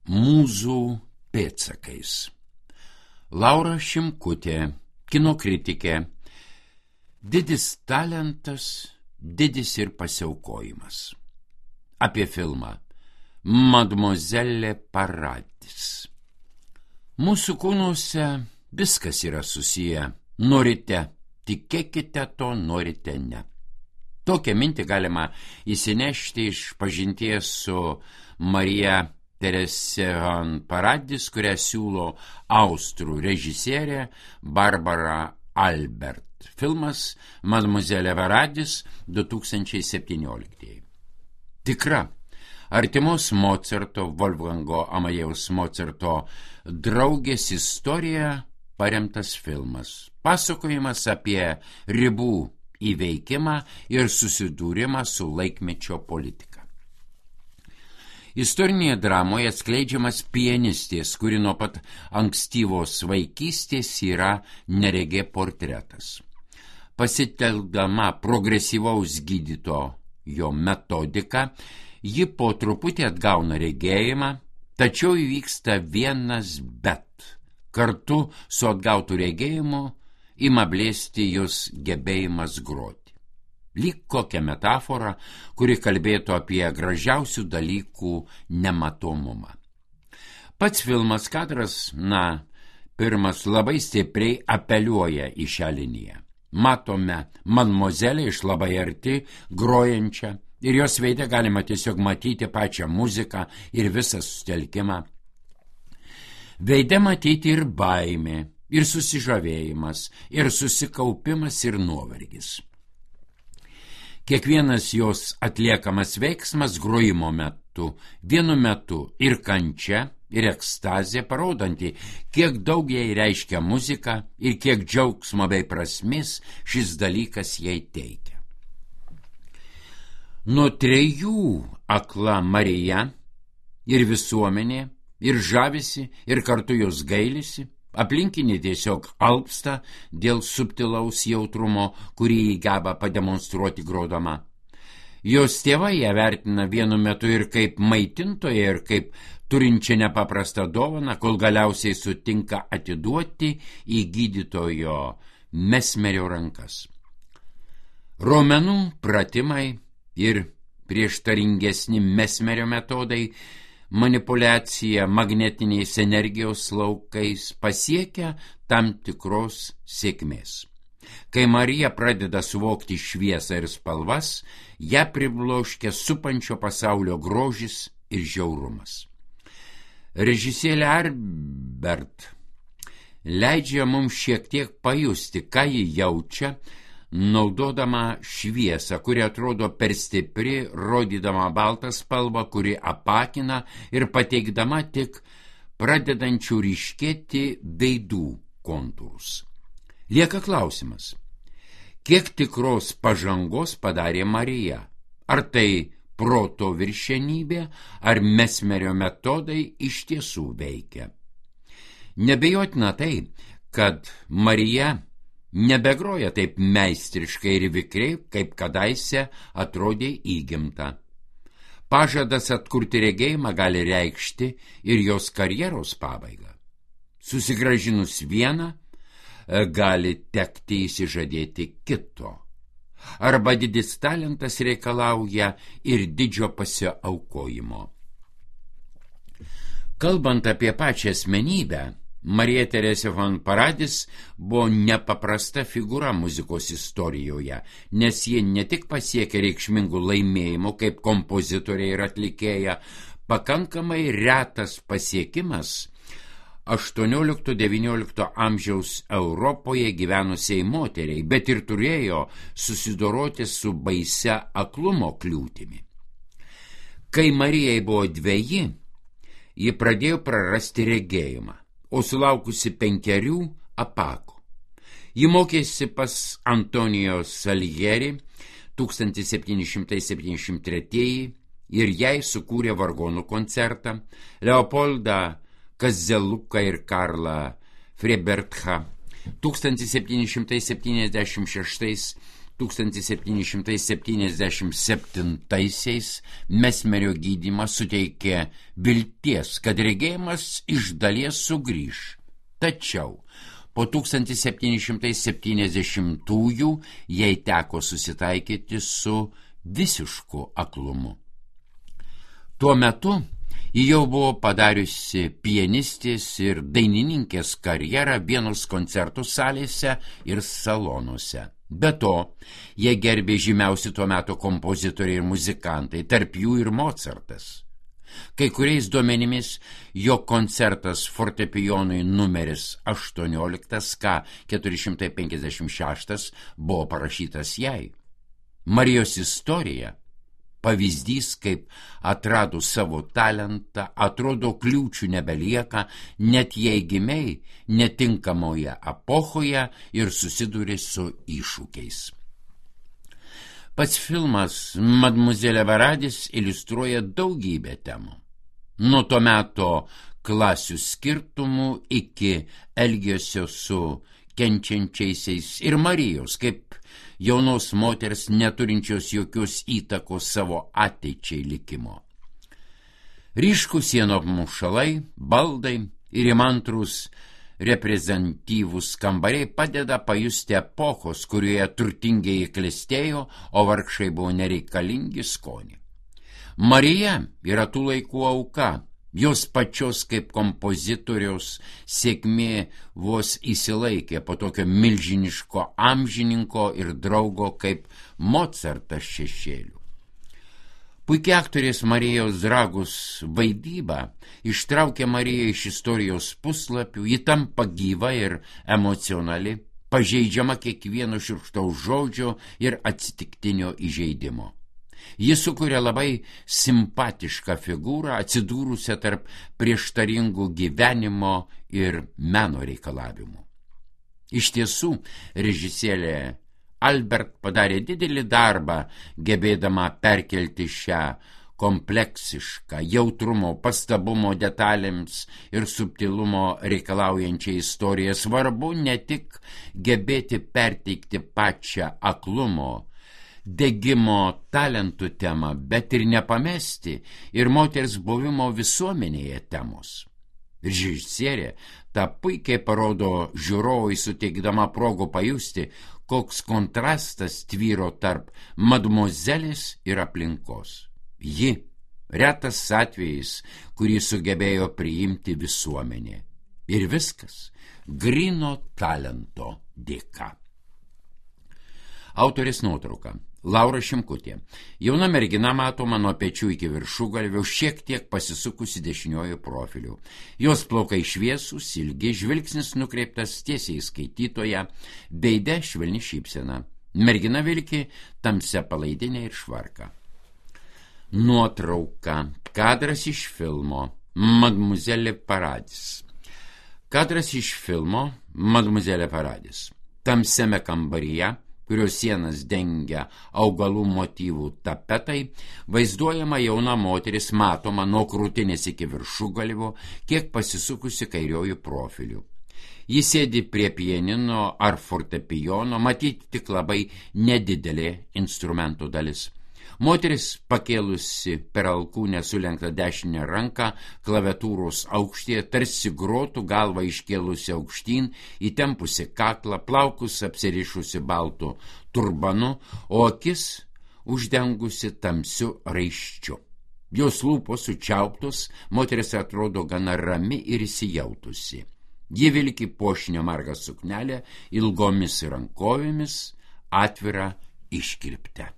Mūzų pėdsakais. Laura Šimkutė, kino kritikė. Didis talentas, didis ir pasiaukojimas. Apie filmą Mademoiselle Paradis. Mūsų kūnuose viskas yra susiję. Norite, tikėkite to, norite ne. Tokią mintį galima įsinešti iš pažinties su Marija Terese van Paradis, kurią siūlo austrų režisierė Barbara Albert. Filmas Mademoiselle Paradis 2017. Tikra, artimos Mocarto, Wolfgango Amadeus Mocarto draugės istorija paremtas filmas. Pasakojimas apie ribų įveikimą ir susidūrimą su laikmečio politika. Istorinėje dramoje atskleidžiamas pianistės, kuri nuo pat ankstyvos vaikystės yra neregė portretas. Pasitelkdama progresyvaus gydytojo metodiką, ji po truputį atgauna regėjimą, tačiau įvyksta vienas bet. Kartu su atgautu regėjimu ima blėsti jos gebėjimas groti. Lyg kokia metafora, kuri kalbėtų apie gražiausių dalykų nematomumą. Pats filmas kadras, pirmas labai stipriai apeliuoja į šią liniją. Matome Mademoiselle iš labai arti, grojančią, ir jos veide galima tiesiog matyti pačią muziką ir visą susitelkimą. Veide matyti ir baimė, ir susižavėjimas, ir susikaupimas, ir nuovargis. Kiekvienas jos atliekamas veiksmas grojimo metu, vienu metu ir kančia, ir ekstazė, parodanti, kiek daug jai reiškia muzika ir kiek džiaugsmo bei prasmės šis dalykas jai teikia. Nuo 3 akla Marija ir visuomenė, ir žavisi, ir kartu jos gailisi. Aplinkinė tiesiog alpsta dėl subtilaus jautrumo, kurį jį geba pademonstruoti grodama. Jos tėvai ją vertina vienu metu ir kaip maitintoją, ir kaip turinčią nepaprastą dovaną, kol galiausiai sutinka atiduoti į gydytojo Mesmerio rankas. Raumenų pratimai ir prieštaringesni Mesmerio metodai, manipuliacija magnetiniais energijos laukais pasiekia tam tikros sėkmės. Kai Marija pradeda suvokti šviesą ir spalvas, ją pribloškia supančio pasaulio grožis ir žiaurumas. Režisierė Albert leidžia mums šiek tiek pajusti, ką ji jaučia, naudodama šviesą, kuri atrodo per stipri, rodydama baltą spalvą, kuri apakina ir pateikdama tik pradedančių ryškėti veidų kontūrus. Lieka klausimas, kiek tikros pažangos padarė Marija? Ar tai proto viršenybė, ar Mesmerio metodai iš tiesų veikia? Nebejotina tai, kad Marija nebegroja taip meistriškai ir vikriai, kaip kadaise atrodė įgimta. Pažadas atkurti regėjimą gali reikšti ir jos karjeros pabaigą. Susigrąžinus vieną, gali tekti įsižadėti kito. Arba didis talentas reikalauja ir didžio pasiaukojimo. Kalbant apie pačią asmenybę, Marija Terese van Paradis buvo nepaprasta figūra muzikos istorijoje, nes ji ne tik pasiekė reikšmingų laimėjimų kaip kompozitorė ir atlikėja, pakankamai retas pasiekimas 18–19 amžiaus Europoje gyvenusiai moteriai, bet ir turėjo susidoroti su baisia aklumo kliūtimi. Kai Marijai buvo 2, ji pradėjo prarasti regėjimą, o sulaukusi 5 apako. Ji mokėsi pas Antonijo Salieri 1773 ir jai sukūrė vargonų koncertą, Leopoldą Kazeluką ir Karlą Freibertą 1776 1777-aisiais Mesmerio gydymas suteikė vilties, kad regėjimas iš dalies sugrįš. Tačiau po 1770-ųjų jai teko susitaikyti su visišku aklumu. Tuo metu ji jau buvo padariusi pianistės ir dainininkės karjerą Vienos koncertų salėse ir salonuose. Be to, jie gerbė žymiausi tuo metu kompozitoriai ir muzikantai, tarp jų ir Mocartas. Kai kuriais duomenimis jo koncertas fortepijonui numeris 18 K456 buvo parašytas jai. Marijos istorija, pavyzdys, kaip atradus savo talentą, atrodo kliūčių nebelieka, net jei gimei netinkamoje epochoje ir susidūrė su iššūkiais. Pats filmas Mademoiselle Varadis iliustruoja daugybę temų. Nuo to meto klasių skirtumų iki elgesio su kenčiančiaisiais ir Marijos, kaip jaunos moters neturinčios jokios įtakos savo ateičiai likimo. Ryškų sienų apmušalai, baldai ir įmantrūs reprezentatyvūs kambariai padeda pajusti epochos, kurioje turtingieji klestėjo, o vargšai buvo nereikalingi skonį. Marija yra tų laikų auka. Jos pačios kaip kompozitoriaus sėkmė vos įsilaikė po tokio milžiniško amžininko ir draugo kaip Mocartas šešėlių. Puikia aktorės Marijos Dragus vaidyba ištraukė Mariją iš istorijos puslapių, ji tampa gyva ir emocionali, pažeidžiama kiekvieno šiurkštaus žodžio ir atsitiktinio įžeidimo. Jis sukuria labai simpatišką figūrą, atsidūrusią tarp prieštaringų gyvenimo ir meno reikalavimų. Iš tiesų, režisierė Albert padarė didelį darbą, gebėdama perkelti šią kompleksišką, jautrumo, pastabumo detalėms ir subtilumo reikalaujančią istoriją. Svarbu ne tik gebėti perteikti pačią aklumo, degimo talentų temą, bet ir nepamesti ir moters buvimo visuomenėje temos. Režisierė tą puikiai parodo žiūrovui, suteikdama progų pajusti, koks kontrastas tvyro tarp mademoiselės ir aplinkos. Ji, retas atvejis, kurį sugebėjo priimti visuomenė. Ir viskas gryno talento dėka. Autorės nuotrauka. Laura Šimkutė. Jauna mergina matoma nuo pečių iki viršugalvio, šiek tiek pasisukusi dešiniuoju profiliu. Jos plaukai šviesūs, ilgi, žvilgsnis nukreiptas tiesiai į skaitytoją, veide švelni šypsena. Mergina vilki tamsia palaidinė ir švarka. Nuotrauka. Kadras iš filmo Mademoiselle Paradis. Kadras iš filmo Mademoiselle Paradis. Tamsiame kambaryje, kurios sienas dengia augalų motyvų tapetai, vaizduojama jauna moteris, matoma nuo krūtinės iki viršugalvio, kiek pasisukusi kairiojų profiliu. Jis sėdi prie pianino ar fortepijono, matyti tik labai nedidelė instrumentų dalis. Moteris pakėlusi per alkūnę sulenktą dešinę ranką, klaviatūros aukštyje, tarsi grotų, galvą iškėlusi aukštyn, įtempusi kaklą, plaukus apsirišusi baltu turbanu, o akis uždengusi tamsiu raiščiu. Jos lūpos sučiauptos, moteris atrodo gana rami ir įsijautusi. Ji vilki puošnio margą suknelę, ilgomis rankovėmis, atvirą iškirptę.